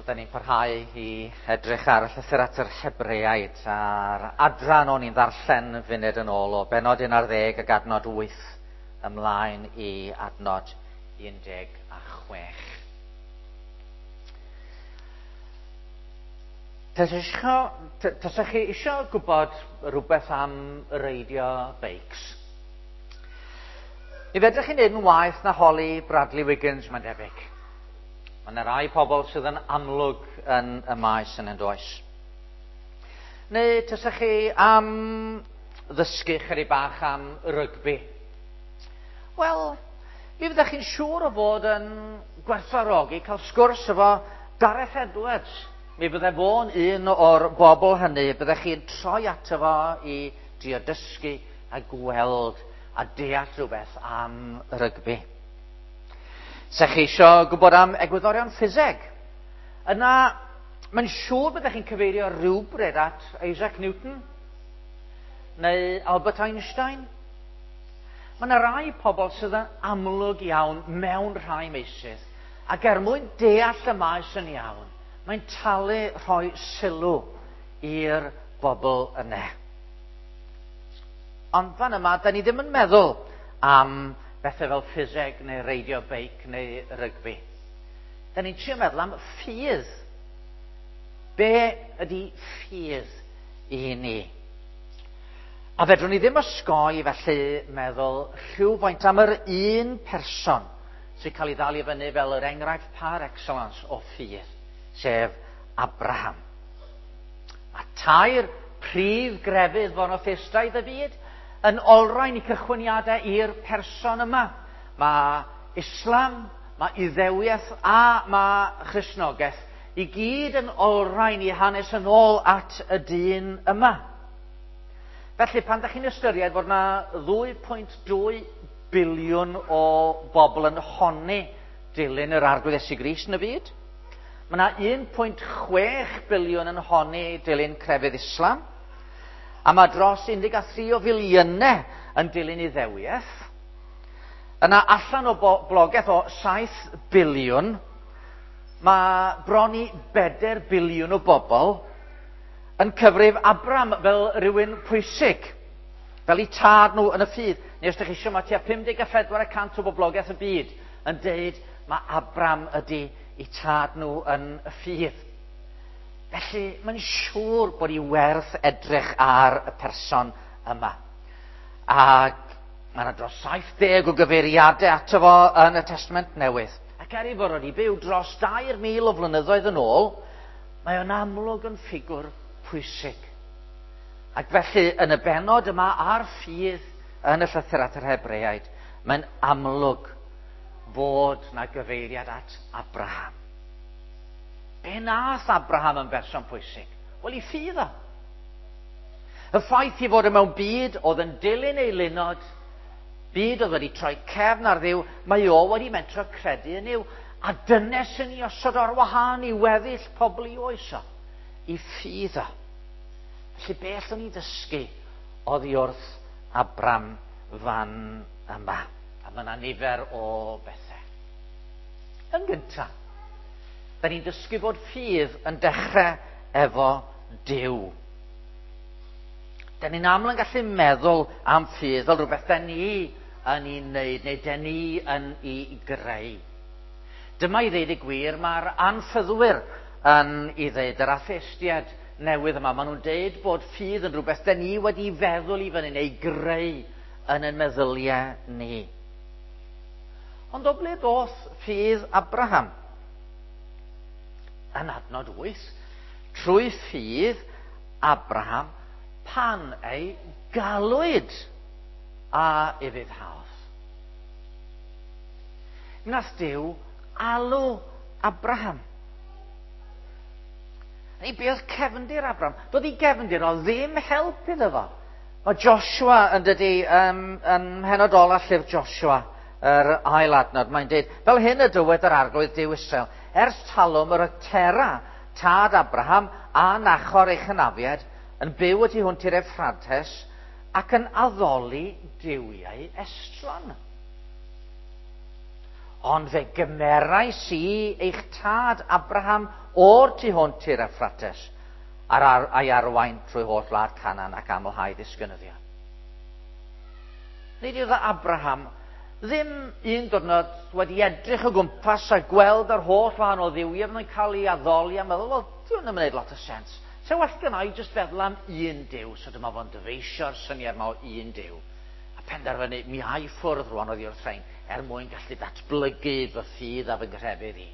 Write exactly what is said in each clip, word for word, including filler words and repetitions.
Wel, da ni'n parhau i edrych ar y llythyr at yr Hebreaid a'r adran o'n i'n ddarllen funud yn ôl o bennod un ar ddeg ac adnod wyth ymlaen i adnod un deg a chwech. Tasech chi eisiau gwybod rhywbeth am reidio beics? Mi fedrwch chi wneud yn waeth na holi Bradley Wiggins, mae'n debyg. Mae yna rai pobl sydd yn amlwg yn y maes yn does. Neu tasech chi am ddysgu chydig bach am rygbi? Wel, mi fyddech chi'n siŵr o fod yn gwerthfawrogi cael sgwrs efo Gareth Edwards. Mi fydde fo'n un o'r bobl hynny, byddech chi'n troi ato fo i drio dysgu a gweld a deall rhywbeth am rygbi. Se chi eisiau gwybod am egwyddorion ffiseg, yna mae'n siŵr byddech chi'n cyfeirio rhywbryd at Isaac Newton neu Albert Einstein. Mae yna rai pobl sydd yn amlwg iawn mewn rhai meysydd, ac er mwyn deall y maes yn iawn, mae'n talu rhoi sylw i'r bobl yna. Ond fan yma, da ni ddim yn meddwl am bethau fel ffiseg neu reidio beic neu rygbi. Da ni'n trio meddwl am ffydd. Be ydy ffydd i ni? A fedrwn ni ddim osgoi felly meddwl rhywfaint am yr un person sy'n cael ei ddal i fyny fel yr enghraifft par excellence o ffydd, sef Abraham. Mae tair prif grefydd fonotheistaidd y byd yn olrhain i cychwyniadau i'r person yma. Mae Islam, mae Iddewiaeth a mae Christnogaeth i gyd yn olrhain i hanes yn ôl at y dyn yma. Felly, pan ydych chi'n ystyried fod yna ddwy pwynt dwy biliwn o bobl yn honni dilyn yr Arglwydd Iesu Grist yn y byd, mae yna un pwynt chwech biliwn yn honni dilyn crefydd Islam, a mae dros un deg a thri o filiynau yn dilyn Iddewiaeth. Yna allan o boblogaeth o saith biliwn, mae bron i bedair biliwn o bobl yn cyfrif Abraham fel rhywun pwysig, fel eu tad nhw yn y ffydd. Neu os ydych chi eisiau, mae tua pum deg a phedwar y cant o boblogaeth y byd yn deud mae Abraham ydy eu tad nhw yn y ffydd. Felly, mae'n siŵr bod i werth edrych ar y person yma. Ac mae yna dros saith deg o gyfeiriadau ato fo yn y Testament Newydd. Ac er ei fod wedi byw dros dair mil o flynyddoedd yn ôl, mae o'n amlwg yn ffigwr pwysig. Ac felly, yn y bennod yma ar ffydd yn y llythyr at yr Hebreaid, mae'n amlwg fod na gyfeiriad at Abraham. Be nath Abraham yn berson pwysig? Wel, i ffydd o. Y ffaith i fod mewn byd oedd yn dilyn ei linod, byd oedd wedi troi cefn ar Dduw, mae o wedi mentro credu yn Nuw. A dyna sy'n ei osod ar wahân i weddill pobl i oes o, i ffydd o. Felly beth o'n i ddysgu oddi wrth Abraham fan yma? A mae yna nifer o bethau. Yn gyntaf, da ni'n dysgu bod ffydd yn dechrau efo Duw. Da ni'n aml yn gallu meddwl am ffydd fel rhywbeth da ni yn ei wneud neu da ni yn ei greu. Dyma i ddeud y gwir, mae'r anffyddwyr yn ei ddeud, yr atheistiaid newydd yma, maen nhw'n deud bod ffydd yn rhywbeth da ni wedi feddwl i fyny neu greu yn ein meddyliau ni. Ond o ble ddoth ffydd Abraham? Yn adnod wyth, trwy ffydd Abraham pan ei galwyd a ufuddhaodd. Nath Duw alw Abraham. Neu be oedd cefndir Abraham? Doedd ei gefndir o ddim help iddo fo. Mae Joshua yn dydi, um, yn mhenod ola llyfr Joshua, yr ail adnod, mae'n deud, fel hyn y dywed yr Arglwydd Duw Israel, ers talwm yr oedd Tera, tad Abraham, a Nachor ei chynafiad, yn byw y tu hwnt i'r Effrates, ac yn addoli duwiau estron. Ond fe gymerais i eich tad Abraham o'r tu hwnt i'r Effrates, ar ar, a'i arwain trwy holl wlad Canaan ac amlhau ddisgynyddion. Nid oedd Abraham ddim un diwrnod wedi edrych o gwmpas a gweld yr holl wahanol dduwiau fydd yn cael ei addoli a meddwl, wel, dwi'n yn gwneud lot o sens. Se well gen i jyst feddwl am un Duw, so dyma fo'n dyfeisio'r syniad yma o un Duw. A penderfynu, mi ai ffwrdd rwan oddi wrth rhain, er mwyn gallu datblygu fy ffydd a fy nghrefydd i.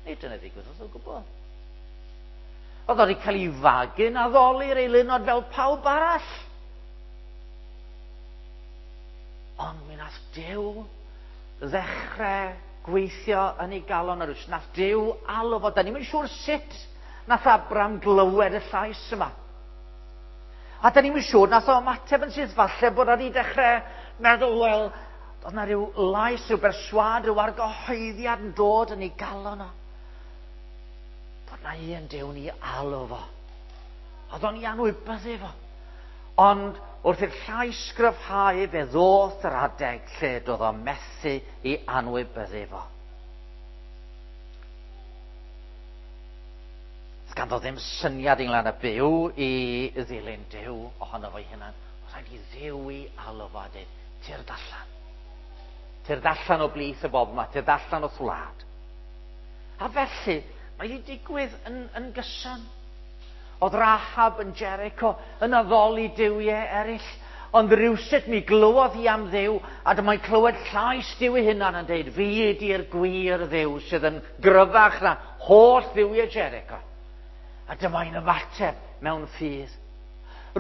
Nid dyna ddigwyddodd o gwbl. Oedd o wedi cael ei fagu'n addoli'r eilunod fel pawb arall. Ond mi nath Duw ddechrau gweithio yn ei galon ar rwys. Nath Duw alw fo. Da ni'm yn siŵr sut nath Abram glywed y llais yma. A da ni'm yn siŵr nath o ymateb yn syth, falle bod o wedi dechrau meddwl, wel, oedd na rhyw lais, rhyw berswâd, rhyw argyhoeddiad yn dod yn ei galon o. Bod na un Duw ni alw fo. Oedd o'n i anwybyddu fo. Ond wrth i'r llais gryfhau, fe ddoth yr adeg lle doedd o methu i anwybyddu fo. Ganddo ddim syniad ynglyn â byw i ddilyn Duw ohono fo'i hunan. Oedd rhaid i Dduw i alw fo a dweud, tyrd allan. Tyrd allan o blith y bobl yma, tyrd allan o'th wlad. A felly, mae wedi digwydd yn, yn gyson. Oedd Rahab yn Jericho yn addoli duwiau eraill, ond rywsut mi glywodd hi am Dduw, a dyma'n clywed llais Duw ei hunan yn dweud, fi ydi'r gwir Dduw sydd yn gryfach na holl dduwiau Jericho. A dyma'n ymateb mewn ffydd.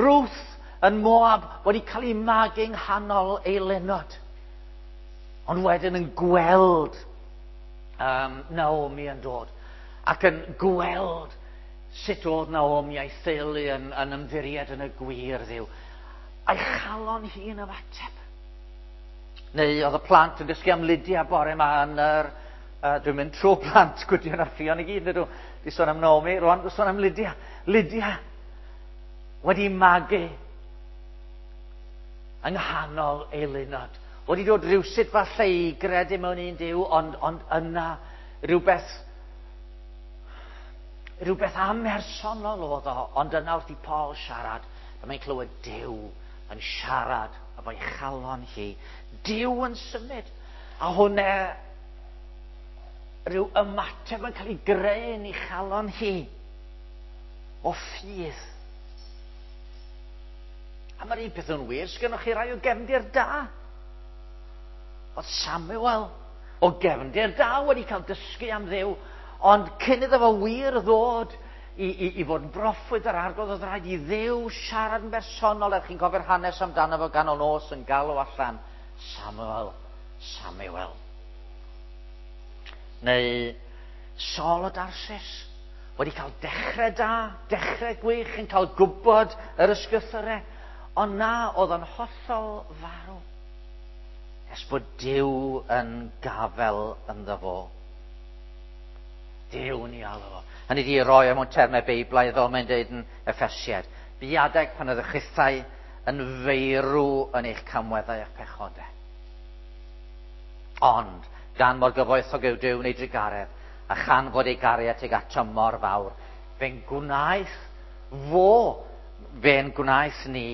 Ruth yn Moab wedi cael ei magu yng nghanol ei lenod, ond wedyn yn gweld um, Naomi yn dod, ac yn gweld sut oedd Naomi a'i theulu yn, yn ymddiried yn y gwir Dduw. A'i chalon hi'n ymateb. Neu oedd y plant yn dysgu am Lydia bore yma yn yr... Uh, dwi'n mynd trwy plant Gwydion a Ffion i gyd, ydw. Di sôn am Naomi, rwan dwi'n sôn am Lydia. Lydia wedi magu yng nghanol ei lunod. Wedi dod rhywsut falle i gredu mewn un Duw, ond, ond yna rhywbeth rhywbeth amhersonol oedd o, ond yna wrth i Paul siarad, a mae'n clywed Duw yn siarad efo'i chalon hi. Duw yn symud. A hwnna rhyw ymateb yn cael ei greu yn ei chalon hi o ffydd. A mae'r un peth yn wir, sgynnoch chi rai o gefndir da. Oedd Samuel o gefndir da wedi cael dysgu am Dduw, ond cyn iddo fo wir ddod i, i, i fod yn broffwyd yr Arglwydd, oedd rhaid i Dduw siarad yn bersonol. Er chi'n cofio'r hanes amdano fo ganol nos yn galw allan, Samuel, Samuel. Neu Saul o Darsis, wedi cael dechrau da, dechrau gwych, yn cael gwybod yr ysgrythurau, ond na, oedd o'n hollol farw. Nes bod Duw yn gafel ynddo fo. Duw ni alw fo. Hynny di roi mewn termau Beiblaidd, fel mae'n dweud yn Effesiaid. Bu adeg pan oedd y chithau yn feirw yn eich camweddau a'ch pechodau. Ond, gan mor gyfoethog yw Duw neu drugaredd, a chan fod ei gariad tuag ato mor fawr, fe'n gwnaeth fo, fe'n gwnaeth ni,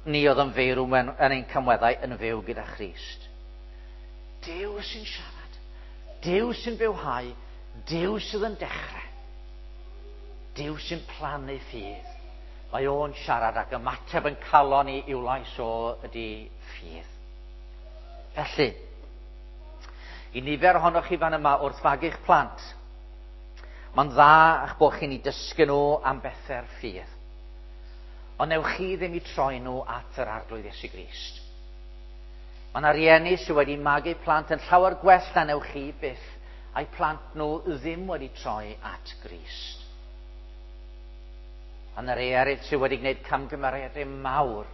ni oedd yn feirw yn ein camweddau yn fyw gyda Christ. Duw sy'n siarad, Duw sy'n bywhau, Duw sydd yn dechrau, Duw sy'n plannu ffydd. Mae o'n siarad ac ymateb yn calon i i'w lais o ydy ffydd. Felly, i nifer ohonoch chi fan yma wrth fagu'ch plant, mae'n dda eich bod chi'n ei dysgu nhw am bethau'r ffydd. Ond newch chi ddim i troi nhw at yr Arglwydd Iesu Grist. Mae yna rieni sydd wedi magu plant yn llawer gwell na newch chi byth, a'i plant nhw ddim wedi troi at Grist. A yna rei eraill sydd wedi gwneud camgymeriadau mawr,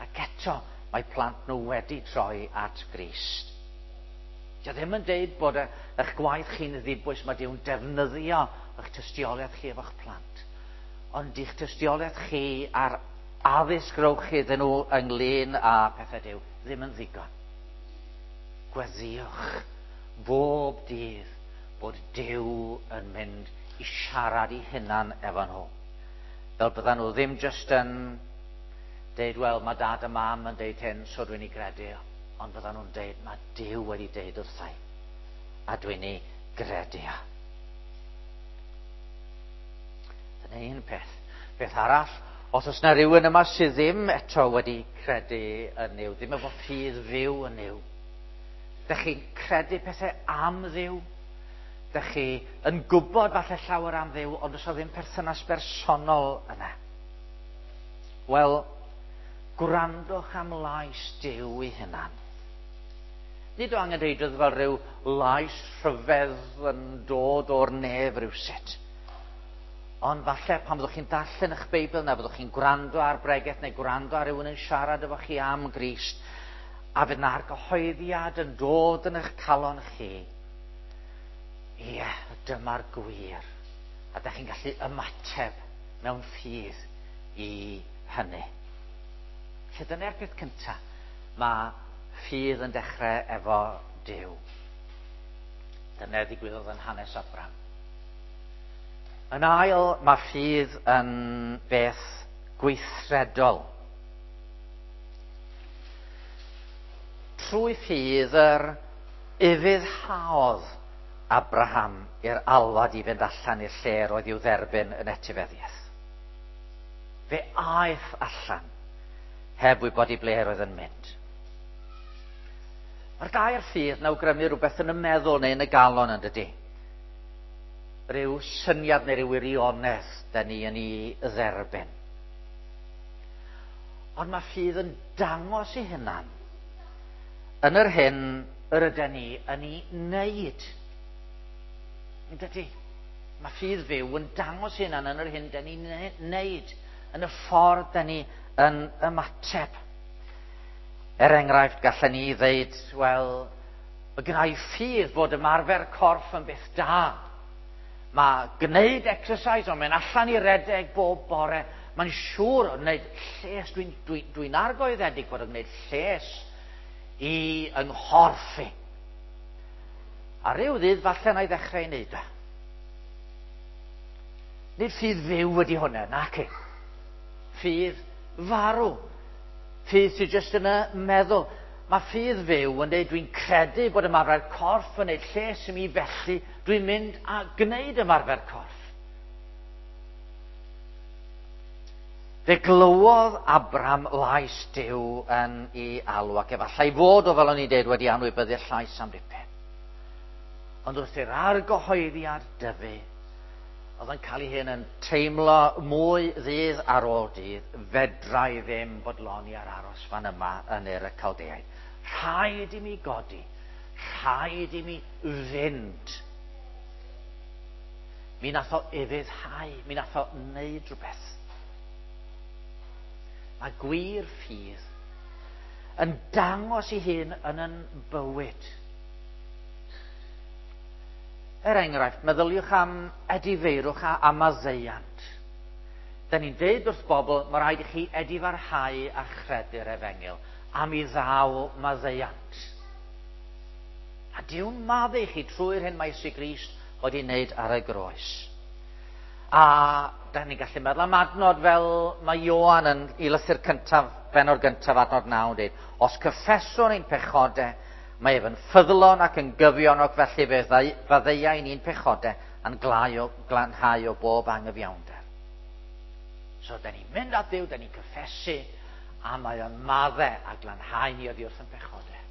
ac eto mae plant nhw wedi troi at Grist. Dio ddim yn deud bod eich gwaith chi'n ddibwys, mae Duw'n defnyddio eich tystiolaeth chi efo'ch plant. Ond i'ch tystiolaeth chi a'r addysg rowch chi iddyn nhw ynglyn â pethau Duw ddim yn ddigon. Gweddïwch bob dydd bod Duw yn mynd i siarad i hunan efo nhw. Fel byddan nhw ddim jyst yn deud, wel, mae dad a mam yn deud hyn, so dwi'n ei gredu. Ond byddan nhw'n deud, mae Duw wedi deud wrthai, a dwi'n ei gredu. Dyna un peth. Peth arall, os oes yna rhywun yma sydd ddim eto wedi credu yn Nuw, ddim efo ffydd fyw yn Nuw, dych chi'n credu pethau am Dduw, dych chi yn gwybod falle llawer am Dduw, ond oes o ddim perthynas bersonol yna. Wel, gwrandwch am lais Duw ei hunan. Nid o angenrheidrwydd fel rhyw lais rhyfedd yn dod o'r nef rhywsut. Ond falle pan fyddwch chi'n darllen eich Beibl neu fyddwch chi'n gwrando ar bregeth neu gwrando ar rhywun yn siarad efo chi am Grist, a fydd na'r gyhoeddiad yn dod yn eich calon chi. Ie, dyma'r gwir. A da chi'n gallu ymateb mewn ffydd i hynny. Felly dyna'r peth cyntaf. Mae ffydd yn dechrau efo Duw. Dyna ddigwyddodd yn hanes Abraham. Yn ail, mae ffydd yn beth gweithredol. Trwy ffydd yr ufuddhaodd Abraham i'r alwad i fynd allan i'r lle roedd i'w dderbyn yn etifeddiaeth. Fe aeth allan heb wybod i ble roedd yn mynd. Mae'r gair ffydd yn awgrymu rhywbeth yn y meddwl neu yn y galon, yn dydy? Rhyw syniad neu ryw wirionedd da ni yn ei dderbyn. Ond mae ffydd yn dangos ei hunan yn yr hyn yr ydyn ni yn ei wneud. Yn dydy? Mae ffydd fyw yn dangos ei hunan yn yr hyn da ni'n wneud, yn y ffordd da ni yn ymateb. Er enghraifft, gallen ni ddeud, wel, mae gynna i ffydd bod ymarfer corff yn beth da. Mae gwneud exercise, ond mae'n allan i redeg bob bore. Mae'n siŵr o wneud lles. Dwi'n dwi, dwi argoeddedig bod yn gwneud lles i yng nghorff i. A ryw ddydd falle na i ddechrau i wneud o. Nid ffydd fyw ydi hwnna, naci. Ffydd farw. Ffydd sydd jyst yn y meddwl. Mae ffydd fyw yn dweud dwi'n credu bod ymarfer corff yn gwneud lles i mi, felly dwi'n mynd a gwneud ymarfer corff. Fe glywodd Abraham lais Duw yn ei alw, ac efallai fod o, fel o'n i'n dweud, wedi anwybyddu'r llais am dipyn. Ond wrth i'r argyhoeddiad dyfu, oedd yn cael ei hun yn teimlo mwy ddydd ar ôl dydd, fedra i ddim bodloni ar aros fan yma yn Ur y Caldeaid. Rhaid i mi godi, rhaid i mi fynd. Mi nath o ufuddhau, mi nath o wneud rhywbeth. Mae gwir ffydd yn dangos ei hun yn yn bywyd. Er enghraifft, meddyliwch am edifeirwch a, a maddeuant. Da ni'n deud wrth bobl, mae rhaid i chi edifarhau a chredu'r efengyl, a mi ddaw maddeuant. A Duw'n maddau chi trwy'r hyn mae Iesu Grist wedi wneud ar y groes. A da ni'n gallu meddwl am adnod fel mae Ioan yn ei lythyr cyntaf, bennod gyntaf, adnod naw, yn dweud, os cyffeswn ein pechodau, mae ef yn ffyddlon ac yn gyfion, ac felly fe faddeuai ni'n pechodau a'n glau o, glanhau o bob angyfiawnder. So, da ni'n mynd at Dduw, da ni'n cyffesu, a mae o'n maddau a glanhau ni oddi wrth ein pechodau.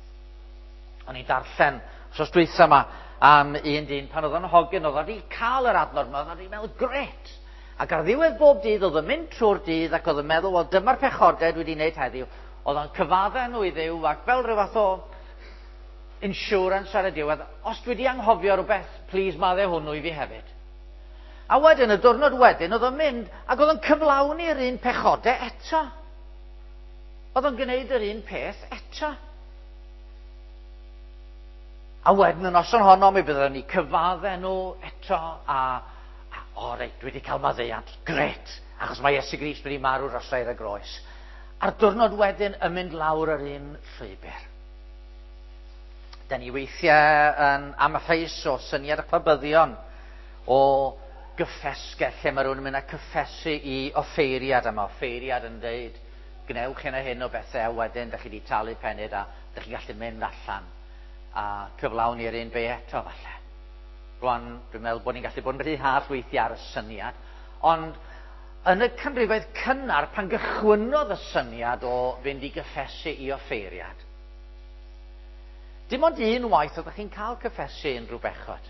O'n i'n darllen wsos dwytha yma am un dyn pan oedd o'n hogyn, oedd wedi cael yr adnod yma, oedd wedi meddwl, gret! Ac ar ddiwedd bob dydd, oedd yn mynd trwy'r dydd ac oedd yn meddwl, wel, dyma'r pechodau dwi wedi wneud heddiw. Oedd o'n cyfaddau nhw i Dduw ac fel rhyw fath o insurance ar y diwedd, os dwi wedi anghofio rhywbeth, please maddau hwnnw i fi hefyd. A wedyn, y diwrnod wedyn, oedd o'n mynd ac oedd o'n cyflawni'r un pechodau eto. Oedd o'n gwneud yr un peth eto. A wedyn y noson honno, mi byddwn ni cyfaddau nhw eto, a, a o reit, dwi wedi cael maddeuant, gret, achos mae Iesu Grist wedi marw dros ar y groes. A'r diwrnod wedyn yn mynd lawr yr un llwybr. Da ni weithiau yn amheus o syniad y pabyddion o gyffesgell lle mae rhywun yn mynd â cyffesu i offeiriad, a mae offeiriad yn dweud gwnewch hyn a hyn o bethau, a wedyn da chi wedi talu penyd a da chi'n gallu mynd allan a cyflawni'r un be eto falle. Rwan, dwi'n meddwl bod ni'n gallu bod yn rhy hallt weithiau ar y syniad, ond yn y canrifoedd cynnar, pan gychwynnodd y syniad o fynd i gyffesu i offeiriad, dim ond un waith oeddech chi'n cael cyffesu unrhyw bechod.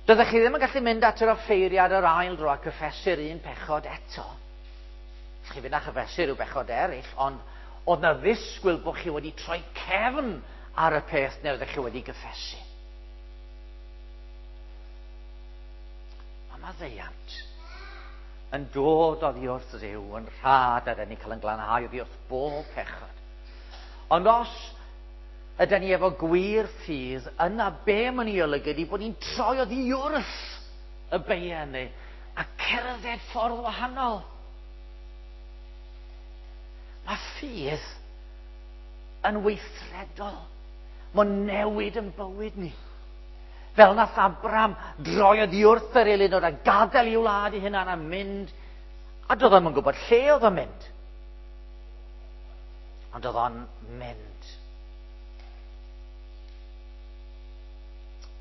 Doeddech chi ddim yn gallu mynd at yr offeiriad yr ail dro a cyffesu'r un pechod eto. Chi fynd a chyffesu rhyw bechod eraill, ond oedd na ddisgwyl bod chi wedi troi cefn ar y peth neu oeddech chi wedi gyffesu. Mae maddeuant yn dod oddi wrth Dduw yn rhad a dyn ni'n cael yn glanhau oddi wrth bob pechod. Ond os ydyn ni efo gwir ffydd, yna be mae'n ei olygu ydy bod ni'n troi oddi wrth y beiau ni a cerdded ffordd wahanol. Mae ffydd yn weithredol. Mae'n newid yn bywyd ni. Fel nath Abraham droi oddi wrth yr eilunod a gadael i'w wlad ei hunan a mynd, a doedd o'm yn gwybod lle oedd o'n mynd. Ond oedd o'n mynd.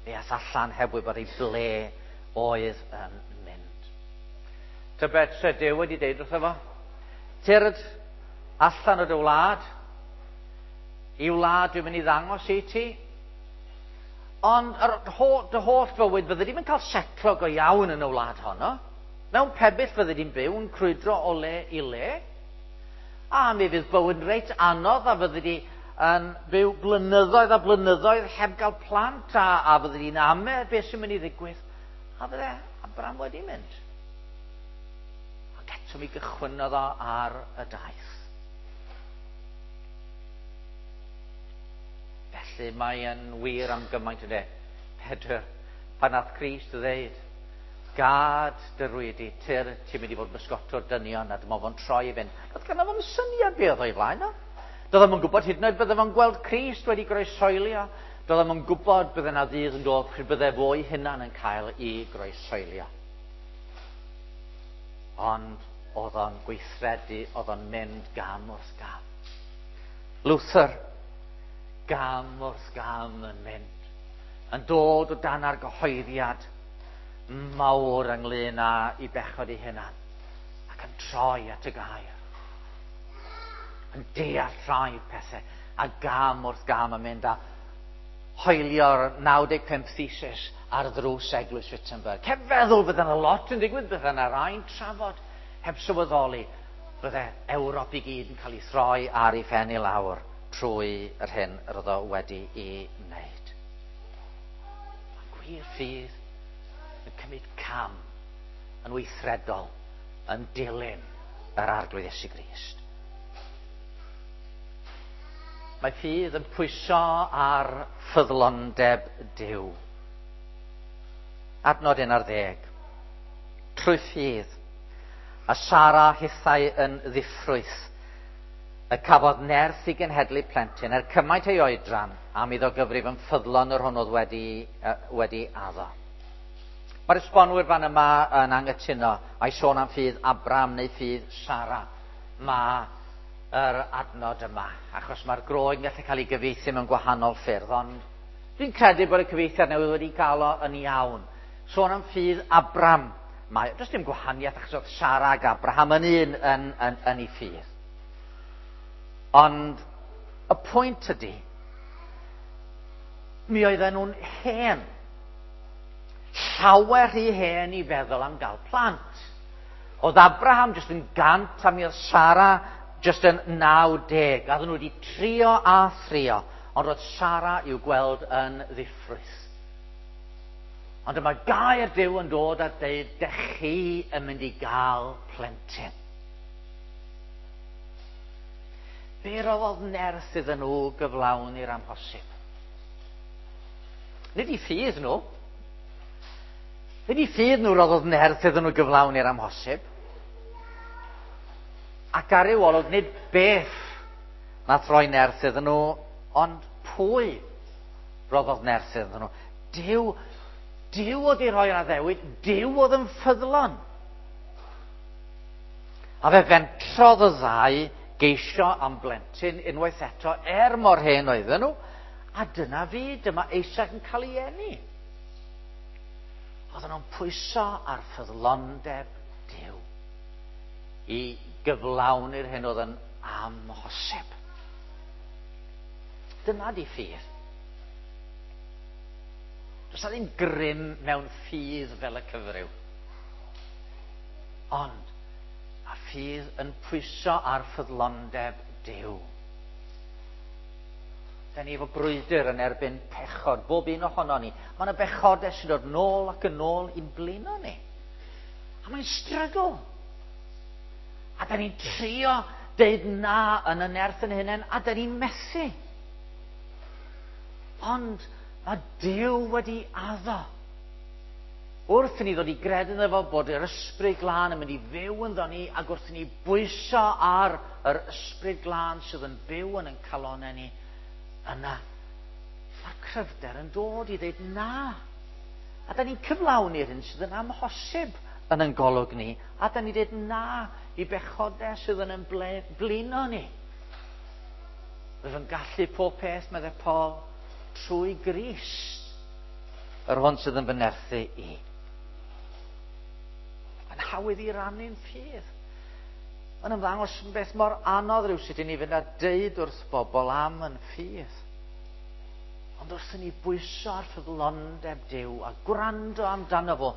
Fe ath allan heb wybod i ble oedd yn mynd. Tybed se Duw wedi deud wrtho fo? Tyrd allan o dy wlad, i wlad dwi'n mynd i ddangos i ti. Ond yr ho- dy holl fywyd fydde di'm yn cael setlo go iawn yn y wlad honno. Mewn pebyll fydde di'n byw yn crwydro o le i le. A mi fydd bywyd reit anodd a fydde di yn byw blynyddoedd a blynyddoedd heb gael plant a, a fydde di'n ame beth sy'n mynd i ddigwydd. A fydde Abraham wedi mynd. Ac eto mi gychwynnodd o ar y daith. Felly mae yn wir am gymaint yna. Pedr, pan nath Crist ddeud, gad dy rwydi, tyr, ti'n mynd i fod bysgotwr dynion, a dyma fo'n troi i fynd. Doedd ganddo fo'm syniad be oedd o'i flaen o. Doedd o'm yn gwybod hyd yn oed bydde fo'n gweld Crist wedi groesoelio. Doedd o'm yn gwybod bydde yna ddydd yn dod pryd bydde fo'i hunan yn cael ei groesoelio. Ond oedd o'n gweithredu, oedd o'n mynd gam wrth gam. Luther, gam wrth gam yn mynd, yn dod o dan argyhoeddiad mawr ynglyn â i bechod ei hunan, ac yn troi at y gair, yn deall rhai pethau, a gam wrth gam yn mynd a hoelio'r naw deg pump thesis ar ddrws Eglwys Wittenberg. Heb feddwl bydde yna lot yn digwydd, bydde yna rai'n trafod, heb sylweddoli, bydde Ewrop i gyd yn cael ei throi ar ei phen i lawr trwy yr hyn yr oedd o wedi ei wneud. Mae gwir ffydd yn cymryd cam yn weithredol yn dilyn yr Arglwydd Iesu Grist. Mae ffydd yn pwyso ar ffyddlondeb Duw. Adnod un ar ddeg. Trwy ffydd, a Sara hithau yn ddiffrwyth, y cafodd nerth i genhedlu plentyn er cymaint ei oedran am iddo gyfrif yn ffyddlon yr hwn oedd wedi, uh, wedi addo. Mae'r esbonwyr fan yma yn anghytuno a'i sôn am ffydd Abraham neu ffydd Sara. Mae yr adnod yma, achos mae'r Groeg yn gallu cael ei gyfieithu mewn gwahanol ffyrdd, ond dwi'n credu bod y cyfieithiad newydd wedi cael o yn iawn. Sôn am ffydd Abraham. Mae, does dim gwahaniaeth achos oedd Sara ac Abraham yn un yn, yn, yn ei ffydd. Ond y pwynt ydy, mi oedden nhw'n hen. Llawer rhy hen i feddwl am gael plant. Oedd Abraham jyst yn gant a mi oedd Sara jyst yn naw deg. A oedden nhw wedi trio a thrio, ond roedd Sara i'w gweld yn ddiffrwyth. Ond yma gair Duw yn dod a deud, dech chi yn mynd i gael plentyn. Be roddodd nerth iddyn nhw gyflawni'r amhosib? Nid i ffydd nhw. Nid i ffydd nhw roddodd nerth iddyn nhw gyflawni'r amhosib. Ac ar ryw olwg, nid beth nath roi nerth iddyn nhw, Ond pwy roddodd nerth iddyn nhw? Duw, Duw oedd i roi'r addewid, Duw oedd yn ffyddlon. A fe fentrodd y ddau geisio am blentyn unwaith eto, er mor hen oedden nhw, a dyna fi, dyma Isaac yn cael ei eni. Oedden nhw'n pwyso ar ffyddlondeb Duw i gyflawni'r hyn oedd yn amhosib. Dyna di ffydd. Does 'na ddim grym mewn ffydd fel y cyfryw. Ond mae ffydd yn pwyso ar ffyddlondeb Duw. Da ni efo brwydr yn erbyn pechod, bob un ohono ni. Mae yna bechodau sy'n dod nôl ac yn ôl i'n blino ni. A mae'n struggle. A da ni'n trio deud na yn y nerth yn hunain, a da ni'n methu. Ond mae Duw wedi addo. Wrth i ni ddod i gredu ynddo fo bod yr Ysbryd Glân yn mynd i fyw ynddo ni, ac wrth i ni bwyso ar yr Ysbryd Glân sydd yn byw yn ein calonnau ni, yna mae'r cryfder yn dod i ddeud na. A da ni'n cyflawni'r hyn sydd yn amhosib yn ein golwg ni, a da ni'n dweud na i bechodau sydd yn ein blino ni. Rwyf yn gallu pob peth, meddai Paul, trwy Grist, yr hwn sydd yn fy nerthu i. Mae'n hawdd i rannu'n ffydd. Mae'n ymddangos yn beth mor anodd rhywsut i ni fynd a deud wrth bobl am yn ffydd. Ond wrth i ni bwyso ar ffyddlondeb Duw a gwrando amdano fo,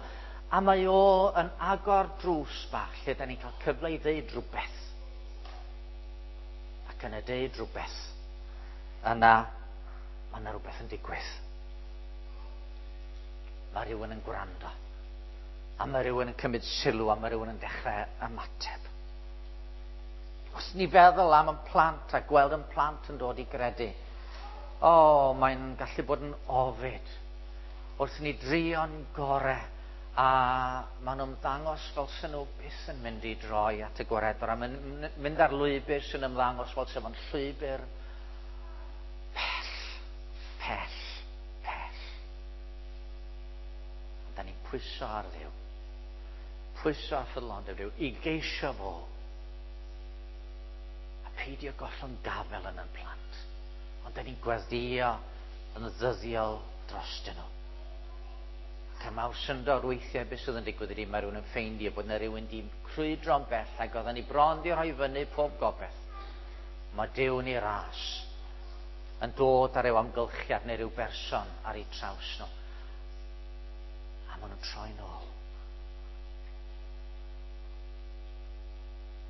a mae o yn agor drws bach lle da ni'n cael cyfle i ddeud rhywbeth. Ac yn y deud rhywbeth, yna mae yna rhywbeth yn digwydd. Mae rhywun yn gwrando. A mae rhywun yn cymryd sylw, a mae rhywun yn dechrau ymateb. Os ni feddwl am yn plant a gweld yn plant yn dod i gredu, o, oh, mae'n gallu bod yn ofid. Wrth ni drio'n gorau, a maen nhw'n ymddangos fel sy'n nhw byth yn mynd i droi at y gwaredwr, a mynd ar lwybr sy'n ymddangos fel sy'n fo'n llwybr pell, pell, pell. Ond da ni'n pwyso ar Dduw, pwyso ar ffyddlondeb Duw, i geisio fo, a peidio gollwng gafel yn ein plant. Ond da ni'n gweddïo yn ddyddiol drostyn nhw. Ac er mawr syndod weithiau beth sydd yn digwydd ydy mae rhywun yn ffeindio bod yna rhywun di crwydro'n bell ac oedden ni bron di rhoi fyny pob gobaith. Mae Duw yn ei ras yn dod ar ryw amgylchiad neu ryw berson ar eu traws nhw. A maen nhw'n troi nôl.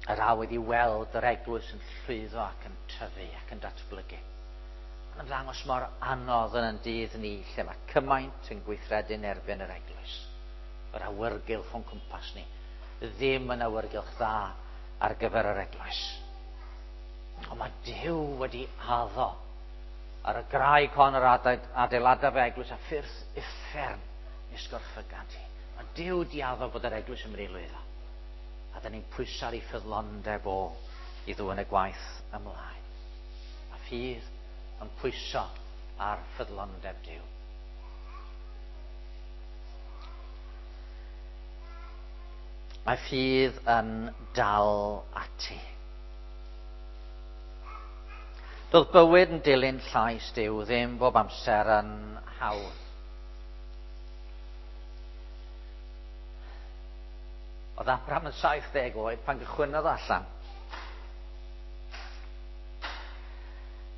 Yr awydd i weld yr eglwys yn llwyddo ac yn tyfu ac yn datblygu. Mae'n ymddangos mor anodd yn ein dydd ni lle mae cymaint yn gweithredu'n erbyn yr eglwys. Yr awyrgylch o'n cwmpas ni ddim yn awyrgylch dda ar gyfer yr eglwys. Ond mae Duw wedi addo ar y graig hon yr adeiladaf y eglwys a ffyrdd uffern nes gorffygant hi. Mae Duw wedi addo bod yr eglwys yn mynd i lwyddo. A da ni'n pwyso ar ei ffyddlondeb o i ddwyn y gwaith ymlaen. A ffydd yn pwyso ar ffyddlondeb Duw. Mae ffydd yn dal ati. Doedd bywyd yn dilyn llais Duw ddim bob amser yn hawdd. Oedd Abraham yn saith deg oed pan gychwynnodd allan.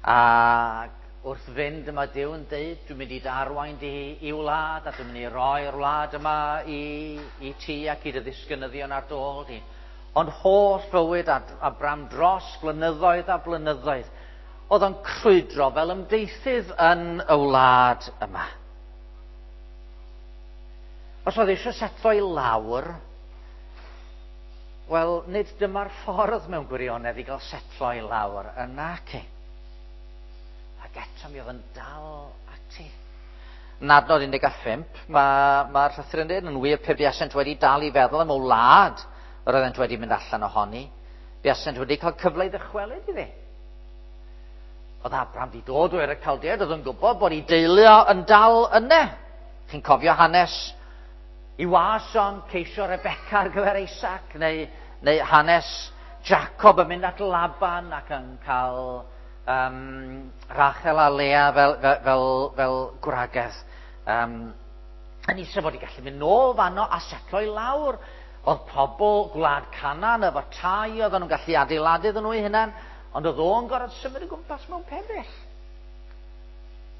Ac wrth fynd yma Duw yn deud, dwi'n mynd i dy arwain di i wlad, a dwi'n mynd i roi'r wlad yma i, i ti ac i dy ddisgynyddion ar dy ôl di. Ond holl fywyd Abraham dros blynyddoedd a blynyddoedd, oedd o'n crwydro fel ymdeithydd yn y wlad yma. Os oedd eisiau setlo i lawr, wel, nid dyma'r ffordd mewn gwirionedd i gael setlo i lawr yna, ci. Ac eto mi oedd yn dal ati. Yn adnod un deg pump, mae'r ma llythyr yn dweud, yn wir pe buasent wedi dal i feddwl am y wlad yr oeddent wedi mynd allan ohoni, buasent wedi cael cyfle i ddychwelyd iddi. Oedd Abraham wedi dod o'r Caldead, oedd yn gwybod bod ei deulu o yn dal yna. Chi'n cofio hanes i was o'n ceisio Rebecca ar gyfer Isaac, neu, neu hanes Jacob yn mynd at Laban ac yn cael um, Rachel a Lea fel, fel, fel, fel gwragedd. Um, yn eisiau fod i gallu mynd nôl fanno a setlo i lawr. Oedd pobl gwlad Canaan efo tai, oedden nhw'n gallu adeiladu iddyn nhw eu hunain, ond oedd o'n gorfod symud o gwmpas mewn pebyll.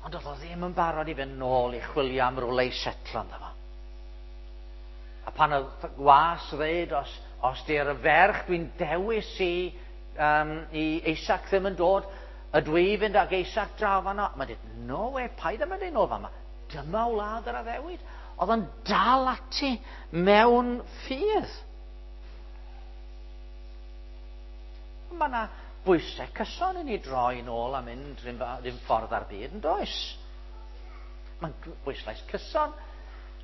Ond oedd o ddim yn barod i fynd nôl i chwilio am rywle i setlo ynddo fo. A pan oedd gwas ddeud, os, os di'r ferch dwi'n dewis i, um, i Isaac ddim yn dod, ydw i fynd ag Isaac draw fanno? Mae'n dweud, no way, paid â mynd nôl fan'ma. Dyma wlad yr addewid. Oedd o'n dal ati mewn ffydd. Mae yna bwysau cyson i ni droi nôl a mynd rhywun ffordd ar byd, yn does? Mae'n bwyslais cyson.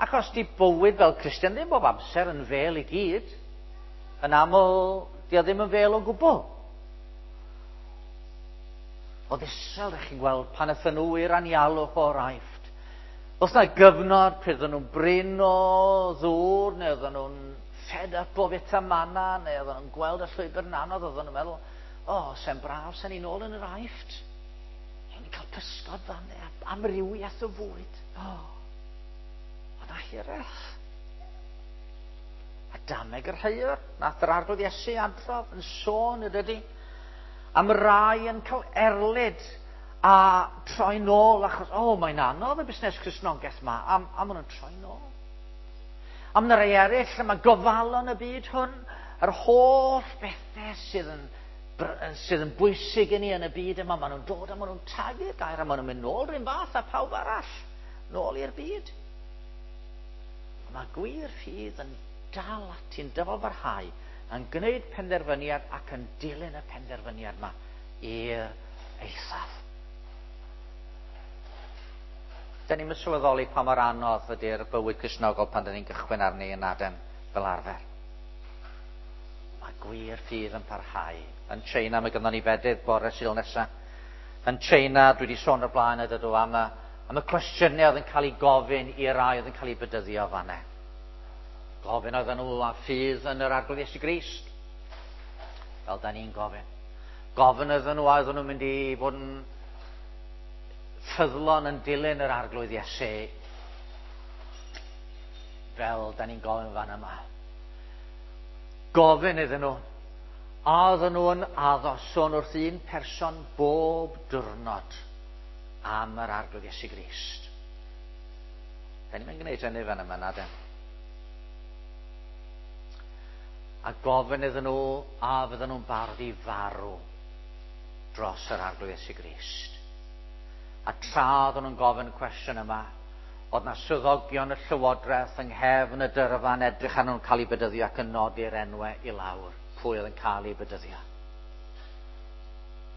Ac os di bywyd fel Cristion ddim bob amser yn fel i gyd, yn aml, di o ddim yn fel o gwbl. Oedd Israel, ydych chi'n gweld, pan aethon nhw i'r anialwch o'r Aifft. Oedd yna gyfnod pryd oedden nhw'n brin o ddŵr, neu oedden nhw'n fed up o fita manna, neu oedden nhw'n gweld y llwybr yn anodd, oedden nhw'n meddwl, o, oh, se'n braf, se'n ni'n ôl yn yr Aifft. Ni'n cael pysgod fan, amrywiaeth o fwyd. O, oh, oedd na hiraeth. A dameg yr heuwr, nath yr Arglwydd Iesu adrodd yn sôn, ydy, am rai yn cael erlid a troi nôl achos, o, oh, mae'n anodd y busnes Cristnogaeth ma, a, a maen nhw'n troi nôl. A mae rai eraill, mae gofalon y byd hwn, yr holl bethau sydd yn, sydd yn bwysig i ni yn y byd yma, maen nhw'n dod a maen nhw'n tagu'r gair a maen nhw'n mynd nôl rhywun fath a pawb arall, nôl i'r byd. Mae gwir ffydd yn dal ati'n dyfalbarhau, yn gwneud penderfyniad ac yn dilyn y penderfyniad yma i'r eithaf. Da ni'n sylweddoli pa mor anodd ydy'r bywyd Cristnogol pan da ni'n gychwyn arni yn aden fel arfer. Mae gwir ffydd yn parhau. Yn China, mae gynnon ni fedydd bore Sul nesaf. Yn China, dwi wedi sôn o'r blaen ydw am y, am y cwestiynau oedd yn cael ei gofyn i'r rai oedd yn cael ei bedyddio fanna. Gofyn oedden nhw a ffydd yn yr Arglwydd Iesu Grist. Fel da ni'n gofyn. Gofyn oedden nhw a oedden nhw'n mynd i fod yn ffyddlon yn dilyn yr Arglwydd Iesu. Fel da ni'n gofyn fan yma. Gofyn iddyn nhw. A oedden nhw yn addo sôn wrth un person bob diwrnod am yr Arglwydd Iesu Grist. Da ni'n gwneud hynny fan yma, na den. A gofyn iddyn nhw a fydden nhw'n barod i farw dros yr Arglwydd Iesu Grist. A tra oedden nhw'n gofyn y cwestiwn yma, oedd na swyddogion y llywodraeth yng nghefn y dyrfa'n edrych arnyn nhw'n cael eu bedyddio ac yn nodi'r enwau i lawr, pwy oedd yn cael eu bedyddio.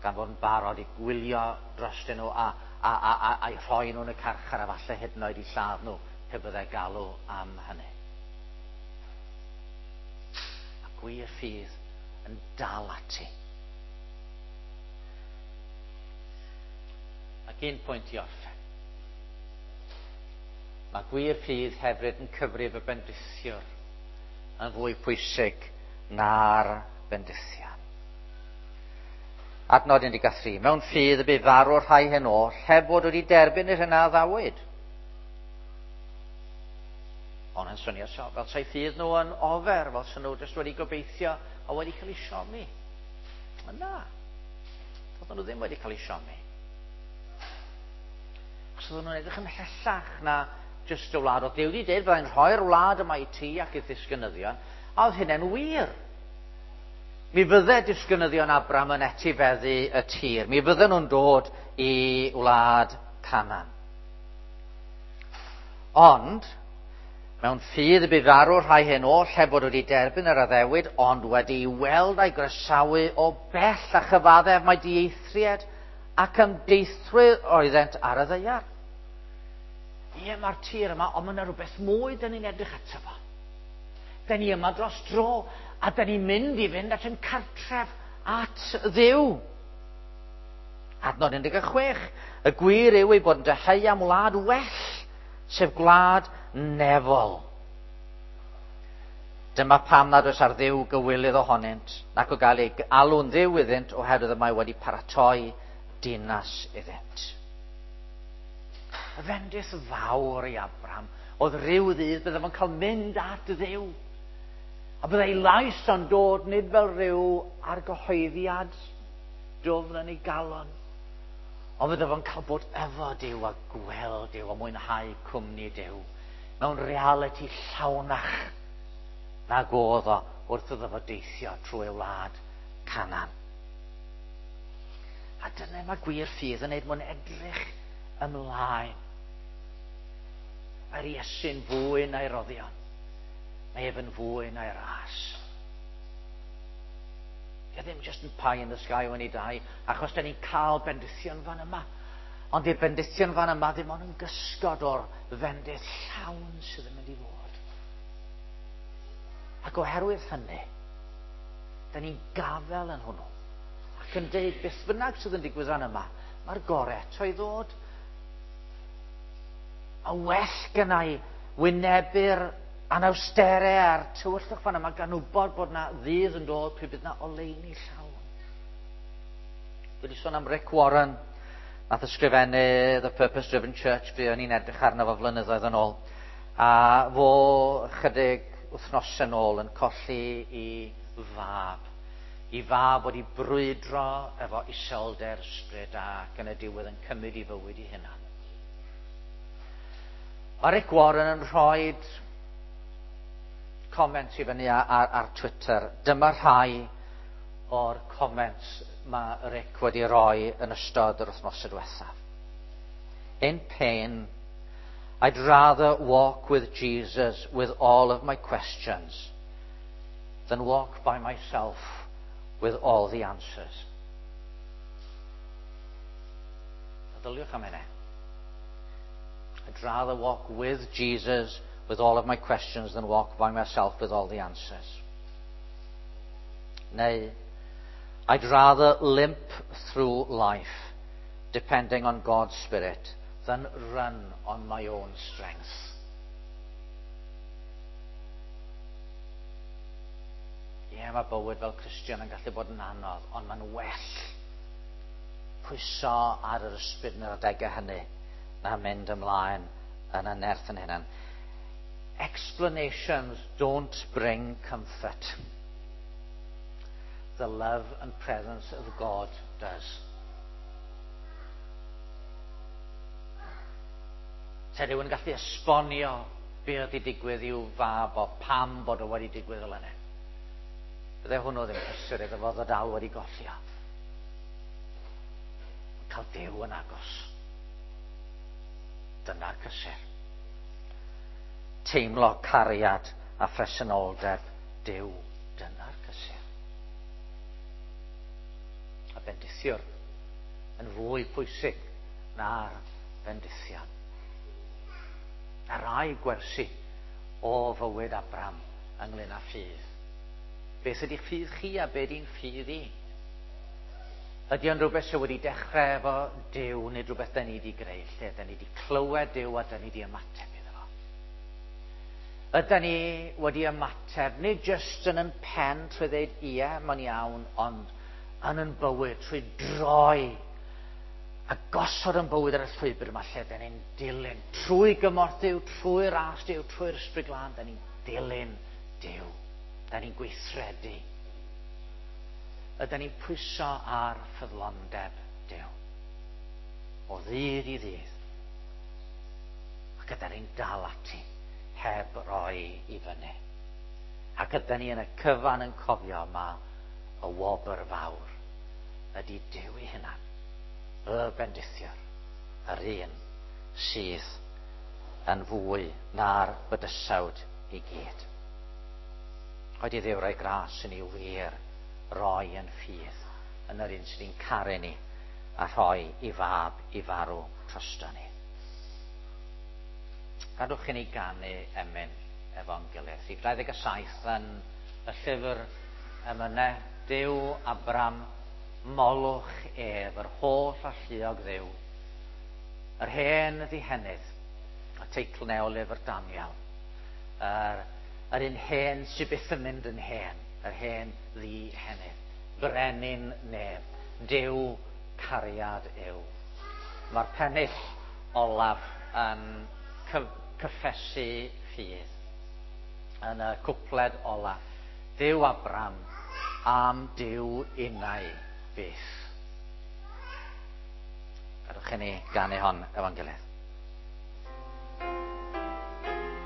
Gan fod yn barod i gwylio drostyn nhw a, a, a, a, a'i rhoi nhw yn y carchar a falle hyd yn oed i lladd nhw pe byddai galw am hynny. A gwir ffydd yn dal ati. Ac un pwynt i orffen. Mae gwir ffydd hefyd yn cyfrif y bendithiwr yn fwy pwysig na'r bendithion. Adnod un deg tri. Mewn ffydd y bu farw'r rhai hyn oll, heb fod wedi derbyn yr hyn a addawyd. Ond yn swnio so, fel sa'i ffydd nhw yn ofer, fel sy'n nhw jyst wedi gobeithio a wedi cael eu siomi. Ond na, doedden nhw ddim wedi cael eu siomi. Achos oedden nhw'n edrych ymhellach na jyst y wlad. Oedd Duw wedi dweud, byddai'n rhoi'r wlad yma i ti ac i'th ddisgynyddion, a oedd hynny'n wir. Mi fydde disgynyddion Abraham yn etifeddu y tir. Mi fydden nhw'n dod i wlad Canaan. Ond, mewn ffydd y bu farw'r rhai hyn oll heb fod wedi derbyn yr addewid, ond wedi weld a'i groesawu o bell a chyfaddef mai dieithriad ac ymdeithwyr oeddent ar y ddaear. Ie, mae'r tir yma, ond mae yna rhywbeth mwy dyn ni'n edrych ato fo. Dyn ni yma dros dro, a dyn ni'n mynd i fynd at yn cartref at Dduw. Adnod un deg chwech, y gwir yw ei bod yn dyheu am wlad well, sef gwlad nefol. Dyma pam nad oes ar Dduw gywilydd ohonynt, nac o gael ei alw'n dduw iddynt, oherwydd y mae wedi paratoi dinas iddynt. Y fendith fawr i Abraham oedd rhyw ddydd bydde fo'n cael mynd at Dduw. A byddai lais o'n dod nid fel rhyw argyhoeddiad dwfn yn ei galon, ond bydde fo'n cael bod efo Duw a gweld Duw a mwynhau cwmni Duw mewn realiti llawnach nag oedd o wrth iddo fo deithio trwy y wlad Canaan. A dyna mae gwir ffydd yn neud mwyn edrych ymlaen. Mae'r Iesu'n fwy na'i roddion. Mae ef yn fwy na'i ras. Dio ddim just yn pie in the sky when he die, achos da ni'n cael bendithion fan yma. Ond di'r bendithion fan yma ddim ond yn gysgod o'r fendith llawn sydd yn mynd i fod. Ac oherwydd hynny, da ni'n gafel yn hwnnw. Ac yn deud, beth bynnag sydd yn digwydd fan yma, mae'r gorau eto i ddod. A well gynna i wynebu'r anawsterau a'r tywyllwch fan yma gan wybod bod na ddydd yn dod pryd bydd na oleuni llawn. Dwi wedi sôn am Rick Warren, nath ysgrifennu The Purpose Driven Church, fi o'n i'n edrych arno fo flynyddoedd yn ôl. A fo chydig wythnosau yn ôl yn colli i fab. I fab wedi brwydro efo iselder ysbryd ac yn y diwedd yn cymryd i fywyd i hunan. Mae Rick Warren yn rhoi comments i fyny ar, ar, ar Twitter. Dyma rhai o'r comments mae Rick wedi rhoi yn ystod yr wythnosau diwethaf. In pain, I'd rather walk with Jesus with all of my questions than walk by myself with all the answers. Meddyliwch am hynny. I'd rather walk with Jesus with all of my questions than walk by myself with all the answers. Neu, I'd rather limp through life depending on God's Spirit than run on my own strength. Ie, yeah, mae bywyd fel Cristion yn gallu bod yn anodd, ond mae'n well pwyso ar yr ysbryd yn yr adegau hynny na mynd ymlaen yn y nerth yn hunan. Explanations don't bring comfort. The love and presence of God does. Se rhywun yn gallu esbonio be oedd wedi digwydd i'w fab o pam bod o wedi digwydd fel yna. Bydde hwnnw ddim cysur iddo fo ddod dal wedi golli o. Cael Duw yn agos. Dyna'r cysur. Teimlo cariad a phresenoldeb Duw. Dyna'r cysur. A bendithiwr yn fwy pwysig na'r bendithion. A rai gwersi o fywyd Abraham ynglyn â ffydd. Beth ydy'ch ffydd chi a be ydy'n ffydd i? Ydy o'n rhywbeth sydd wedi dechrau efo Duw, nid rhywbeth da ni wedi greu, lle da ni wedi clywed Duw a da ni wedi ymateb iddo fo. Ydy ni wedi ymateb, nid jyst yn yn pen trwy ddeud ie, mae'n iawn, ond yn yn bywyd trwy droi a gosod yn bywyd ar y llwybr yma lle da ni'n dilyn trwy gymorth Duw, trwy ras Duw, trwy'r Ysbryd Glân, da ni'n dilyn Duw. Da ni'n gweithredu. Ydy ni'n pwyso ar ffyddlondeb Duw. O ddydd i ddydd. Ac ydy ni'n dal ati heb roi i fyny. Ac ydy ni yn y cyfan yn cofio ma y wobr fawr ydy Duw ei hunan. Y bendithiwr, yr un sydd yn fwy na'r bydysawd i gyd. Oed i Dduw roi gras i ni wir roi yn ffydd yn yr un sydd yn caru ni a rhoi i fab i farw drosto ni. Gadwch i ni ganu emyn efo'n gilydd. Rhif dau ddeg saith yn y llyfr emynau, Duw Abraham Molwch ef, yr holl alluog Dduw, yr hen ddihenydd, y teitl 'na o lyfr Daniel, yr, yr un hen sydd byth yn mynd yn hen, yr hen ddihenydd, brenin nef, Duw cariad yw. Mae'r pennill olaf yn cyffesu ffydd yn y cwpled olaf. Duw Abram am Duw innau byth. Gadewch i ni ganu hon efo'n gilydd.